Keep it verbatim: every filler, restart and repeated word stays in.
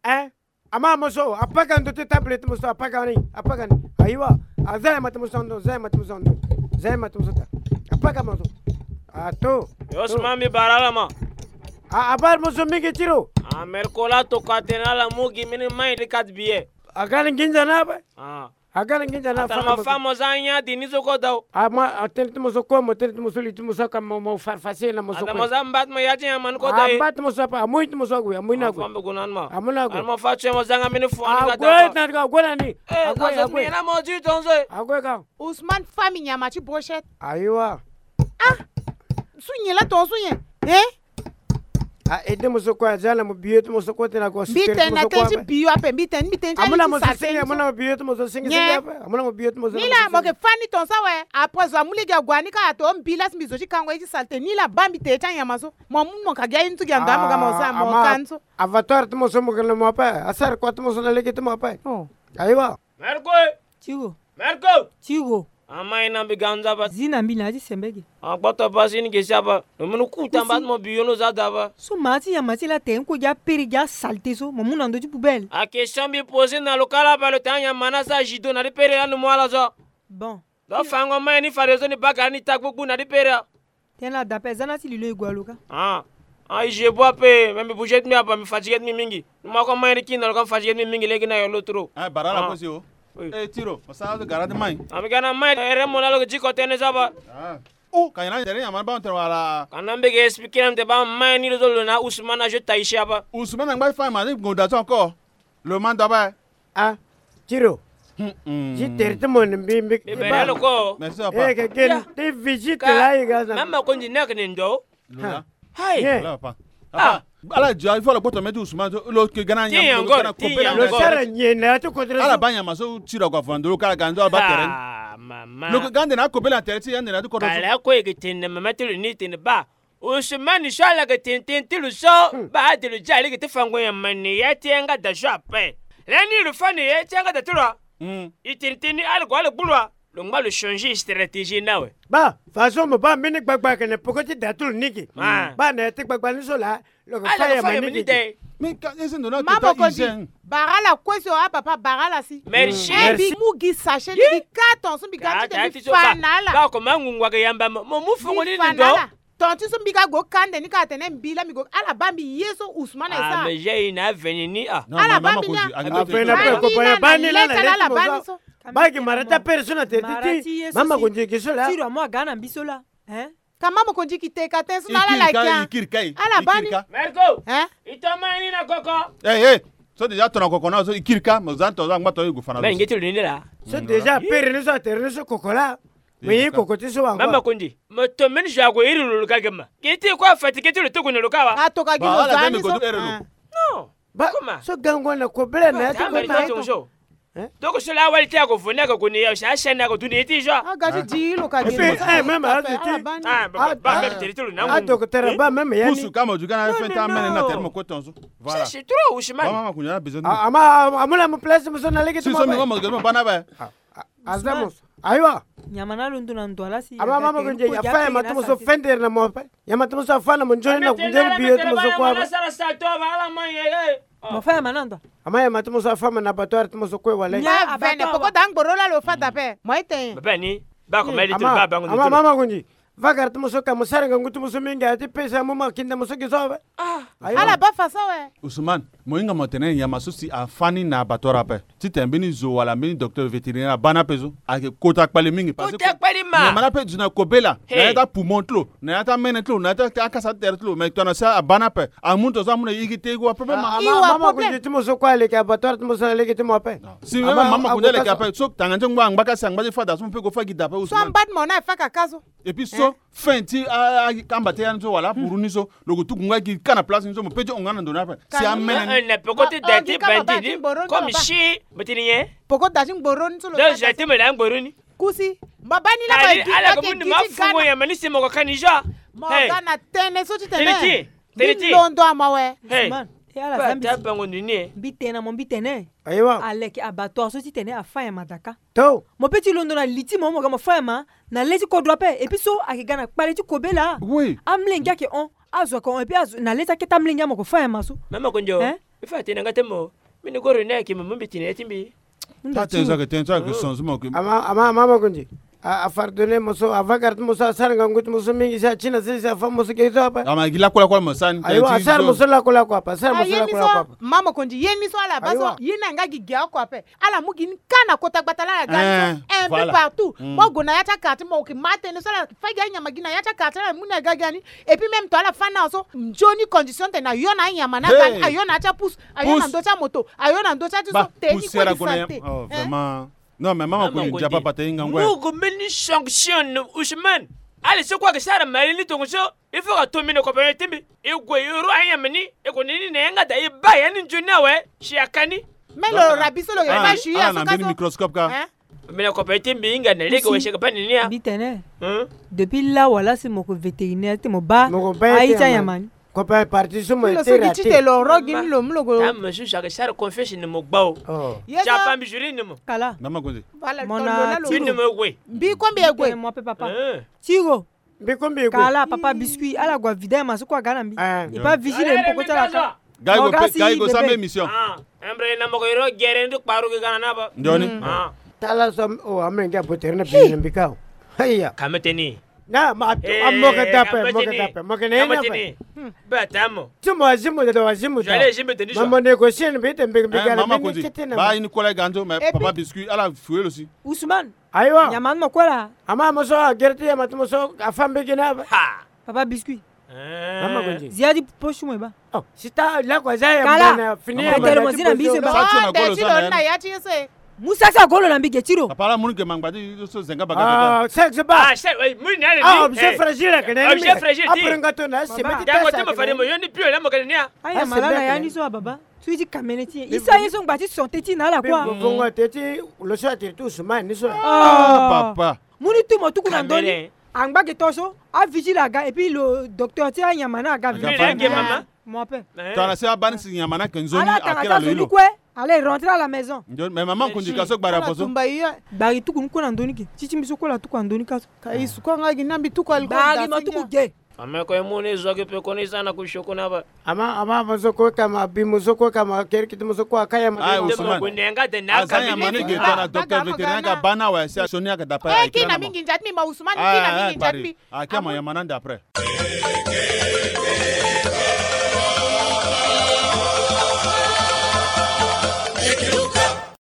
Eh, ama mo so, apaka ndo ti table ti mo so, apaka ni, apaka ni. Ayiwa, aza ya ma ti mo so ndo, za ya ma ti mo so ndo. Za ya ma ti mo so ta. Apaka mo so. Ato. Yo, sima mbi bara ala ma. A, abara mo so mingi ti lo. A, Mercola tokua atene ala mu gi mbeni mai ti quatre billets. Aga ni nginza na ape. A. Aga na nginza na. Atara ma fa mo za nya di ni so ko dau. Ama atene ti mo so ko, mo tene ti mo so li ti mo so ka mo, mo farfasi na mo so ko. Atara ma za mba ti mo ya ti nyama ni ko dau. Mba ti mo so apa, amoi ti mo so ague, amoi na ague. Amoi na ague. Atara ma fa tue mo za nga mbeni fo ni ka dau. Ague na ni. Eh, ague, ague. Nyena mo di tonso. Ague ka. Ousmane fa mbi nyama ti brochette. Ayiwa. Ah. Su nyen la tonso nyen. Eh? A, ede mo so kue aza na mo biyo ti mo so kue tena ko. Mbi tene na tene ti biyo ape, mbi tene, mbi tene ti. Amona mo so senge, amona mo biyo ti mo so senge senge ape. Amona mo biyo ti mo so. Ni la mo ke fani ton so awe. Après zo amu lege ague ni ka ato mbi la si mbi zo ti kango ye ti salte. Ni la ba mbi tene ti anyama so. Mo amu mo ka gi aye ni so gi ando mo ga mo sa mo kan so. Abattoir ti mo so mo ke na mo ape. Asara kua ti mo so na lege ti mo ape. Oh. Ayiwa. Merco. Tiro. Merco. Tiro. Amai na mbi ganza ba. Zi na mbi na ya ti sembe ge. Agboto ba si ni ge si aba. Lo munu kuta mba ti mo biyo no za da ba. So ma ti nyama ti la tene kue gi apere gi asalte so mo mu na ndo ti poubelle. A question mbi poser na lo kala ba lo tene anyama na sa judo na ti pere lani mo ala so. Bon. Donc fango mai ni fade so ni baka ni ta gbugbu na ti pere. Tene la dape za na ti lilo e gue alo ka. Ah. Ah, i je bois ape, me mbi bouger ti mbi aba, mbi fatiguer ti mbi mingi. Ni ma ko mai ni kina lo ka, mbi fatiguer ti mbi mingi lege na yo lo trop. Ah, bara la ko si o. Eh, Tiro, mo sara so gara ti mai. Ah, mbi ga na mai, ere mo na lo ke ti ko tene so aba. Ah. Oh, ka nyen na tere nyama ni ba mo tene wala. Ka na mbi ke expliquer na mo tene ba mai ni lo so lo na Ousmane na jeu taille aba. Ousmane angba ti fa ma ti ngonda so encore. Lo ma ndo ape. Ah, Tiro. Ti tere ti mo ni mbi mbi. Mbi bere lo ko. Merci papa. Eh, ke gen ti visite la i ga sa. Mama ko ndi na ke ni ndo. Lo la. Hai. Lo la papa. Ah. Ala dia il faut lo kpoto meti Ousmane so, lo ke gana nyam, lo gana kopela. Lo sara nyen na ti kodro. Ala ba nyama so Tiro ko vando lo kala gando ala ba tere. Ah, mama. Lo ke gande na kopela tere ti yande na ti kodro. Kala ko e ke tene mama ti lo ni tene ba. Ousmane so ala ke tene tene ti lo so, ba ade lo dia lege ti fango nyama ni ya ti yanga da so ape. Lani lo fa ni ya ti yanga da ti lo a. I tene tene ni ala gue ala gbu lo a. Lo ngba lo changer stratégie ni awe. Ba, façon mo ba mbeni gbagba ayeke na peko ti da ti lo ni ge. Ba na ya ti gbagba ni so laa, lo ke fa nyama ni ge. Mais ka ese ndo na kota hygiène. Bara ala kue so a papa, bara ala si. Merci. Eh, mbi mu gi sachet ni gi carton so mbi ga ti tene mbi fa na ala. Ba ko ma ngungu ayeke yamba mo, mo mu fongo ni ndo. Ton ti so mbi ga gue kande ni ka atene mbi la mbi gue ala ba mbi ye so Ousmane e sa. Ah, mais j'ai une avenue ni ah. Ala ba mbi ni ah. Avenue na pe ko ba ya ba ni la na leta ala ba ni so. Ba gi mara ti apere so na tere ti ti. Mama ko nzeki so la. Tiro amo aga na mbi so la. Hein? Ka mama ko nzeki te ka te so na ala la kia. Ala ba ni. Merco. Hein? I to ma ni na koko. Eh eh. So déjà to na koko na so i kiri ka mo za to za ngba to i gue fa na. Mais nge ti lo ni la. So déjà apere ni so atere ni so koko la. Mais ye koko ti so wa. Mama ko ndi. Mo to mbeni zo ague iri lo lo ga gema. Ke ti ko afatigué ti lo ti gue na lo ka wa. Atoka gi lo za ni so. Non. Ba so gango na kobela na ya ti ko na ya ti. Toko so la awali ti ako vo ni ako gue na ya si asiani ako dunia ti zo. Aga ti di lo ka gi. Eh même azo ti. Ah ba même tere ti lo na. Ah docteur ba même ya ni. Pusu ka mo du ga na fin ta mene na tere mo ko tonso. Voilà. C'est trop Ousmane. Mama ko ni a besoin. Ama amula mo place mo so na lege ti mo. Si so mi mo mo ga mo ba na ba. Aza mo so. Ayiwa. Nyama na londo na ndo ala si. Ama mama ko nje ya fa ya ma ti mo so fendere na mo ape. Ya ma ti mo so afa na mo nzoni na kunde biye ti mo so kue ape. Mo fa ya ma na ndo. Ama ya ma ti mo so afa ma na abattoir ti mo so kue wala. Ba vene poko da ngboro la lo fa da pe. Mo ete. Ba ni. Ba ko meli ti ba ba ngu. Ama mama ko nje. Vagara ti mo so ka mo sara ngangu ti mo so mingi aya ti pesa mo ma kinda mo so gi so awe. Ala ba fa so awe. Ousmane, mo hinga mo tene nyama so si afa ni na abattoir ape. Titene mbeni zo wala mbeni docteur vétérinaire aba ni ape so ayeke kota kpale mingi. Kota kpale ma. Nyama ni ape duti na kobela na ya ti apoumon ti lo, na ya ti amene ti lo, na ya ti akasa ti tere ti lo. Me tongana si aba ni ape amu ni tongaso amu na igi te igi wa problème ma. Mama ko nde ti mo so kue aleke abattoir ti mo so na lege ti mo ape. Si mama ko nde aleke ape so tanga ti ngba angba kasi angba ti fada so mo pe ko fa gi da ape Ousmane. So amba ti mo na afa kaka so. Et puis so fin ti akamba ti ya ni so wala apuru ni so lo ko tuku nga gi ka na place ni so mo pe ti hon nga na ndo ni ape. Si amene ni. Na peko ti da ti bandi ni comme si mo ti ni nyen. Peko da ti ngboro ni so lo da ti mo da ngboro ni. Kusi. Mo ba ni la ko ala ko mundi ma fungo ya ma ni si mo ko ka ni jo. Mo ga na tene so ti tene. Tene ti. Tene ti. Londo ama we. E ala za mbi ti. Mbi tene na mo mbi tene. Ayiwa. Aleke abattoir so ti tene afa nyama daka. To. Mo pe ti londo na li ti mo, mo ga mo fa nyama na le ti kodro ape. Et puis so ayeke ga na kpale ti kobela. Oui. Amolenge ayeke hon. Azo ayeke hon. Et puis azo na le ti akete amolenge amo ko fa nyama so. Mama Konjo. Hein? I fa tene nga te mo. Mbi ni goro ni ayeke mo mbi tene ya ti mbi. Ta tene so ayeke tene so ayeke changement ke. Ama ama ama Makonzi. A, a pardonner mo so, a va garder mo so, asara ngangu ti mo so mingi si ati na sese, afa mo so ke so ape. Ama gi lakue lakue mo sara ni. Ayiwa, asara mo so lakue lakue ape, asara mo so lakue lakue ape. Mama Konzi, ye ni so ala baa so, ye ni anga gi gi oko ape. Ala mu gi ni ka na kota gbata la, ala ga ni so un peu partout. Mo gue na ya ti akartier, mo ke ma tënë so, ala fa gi anyama gi na ya ti akartier, ala mu ni aga gi ni. Et puis même to ala fa na so nzoni condition ti tene ayo na anyama ni aga ni, ayo na ya ti apusu, ayo na ndö ti amoto, ayo na ndö ti ati so, tene ni kue ni sante. Vraiment. Non, mais mama Konzi, ndia papa te, hinga ngoi. Mo gue mbeni sanction, Ousmane. Ala so kue ayeke sara mali ni tongo so. Il faut ka to mbi na compagnie ti mbi. E gue e ro anyama ni, e gue na ni na yanga da, e baa ya ni nzoni awe si aka ni. Mais lo rabi so lo yeke baa si ya so ka so. Microscope ka. Mbi na compagnie ti mbi, hinga na lege wese ka baa ni ni ya. Mbi tene. Depuis là wala si mo ko vétérinaire ti mo baa aye ti anyama ni. Compagnie parti so mo ti tene lo ro gi ni lo mu lo go. Tama so si ayeke sara confiance ni mo gbau. Ye so. Tapa mbi juri ni mo. Kala. Mama Konzi. Voilà, mo na tiro. Mbi ko mbi e gue. Mo pe papa. Tiro. Mbi ko mbi e gue. Kala papa Biscuit, ala gue avide ma so kue aga na mbi. E pa vigile mpo kota la ka. Ga i go pe, ga i go sara mbi émission. Ah, embre na mo ko iro gere ndu kparu gi ga na na ba. Nzoni. Ah. Tala so o amenge abotere na bi na mbi ka. Haya. Ka mete ni. Na ma a mo ke dape, mo ke dape, mo ke ne na pe. Ba tamo. Ti mo azimu da, azimu da. Mama négocier ni mbi te mbi ga na mama Konzi. Ba ini kola ga nzo, mais papa Biscuit ala fuel aussi. Ousmane. Ayiwa. Nyama ni mo kue la. Ama mo so agere ti nyama ti mo so afa mbege ni ape. Ha. Papa Biscuit. Mama Konzi. Zia ti poche mo e baa. Oh, si ta la ko aza ya. Kala. Fini ya. Tele mo zi na mbi se baa. Sa ti lo na golo za na ya ti ye se. Mu sa ti agolo na mbi ge ti lo. Papa la mu ni ge mangba ti so zenga baga. Ah, sexe ba. Ah, c'est, oui, mu ni ale. Ah, objet fragile ke ni. Objet fragile ti. Après nga to na se meti ta sa. Mo fade mo yo ni pio la mo ke ni ya. Aya malanga ya ni so ababa. So i ti kamene ti e. I sa ye so ngba ti santé ti na ala kua. Bongo te ti lo so atiri ti Ousmane ni so. Ah, papa. Mu ni tu mo tuku na ndö ni. Angba ge to so avigile aga et puis lo docteur ti anyama ni aga vigile. Mo ape. Tongana si abaa ni si nyama ni ayeke nzoni, ala tanga ta so ni kue. Allez, rentre à la maison. Mais mama Konzi ka so gbari apo so. Gbari tuku ni kue na ndö ni ke. Ti ti mbi so kue la tuku na ndö ni ka so. Ka i su kue nga gi na mbi tuku ali kue. Gbari mo tuku ge. Ame ko e mu ni zo gi pe ko ni sa na ku sio ko na ba. Ama ama mo so ko ka ma bi mo so ko ka ma keri kiti mo so ko aka ya ma. Ayi Ousmane. Aza ya ma ni ge tongana docteur vétérinaire ka baa ni awe si asioni ayeke d'après. Eh, ki na mingi nzati mbi ma Ousmane, ki na mingi nzati mbi. Aki ama ya ma na nda après.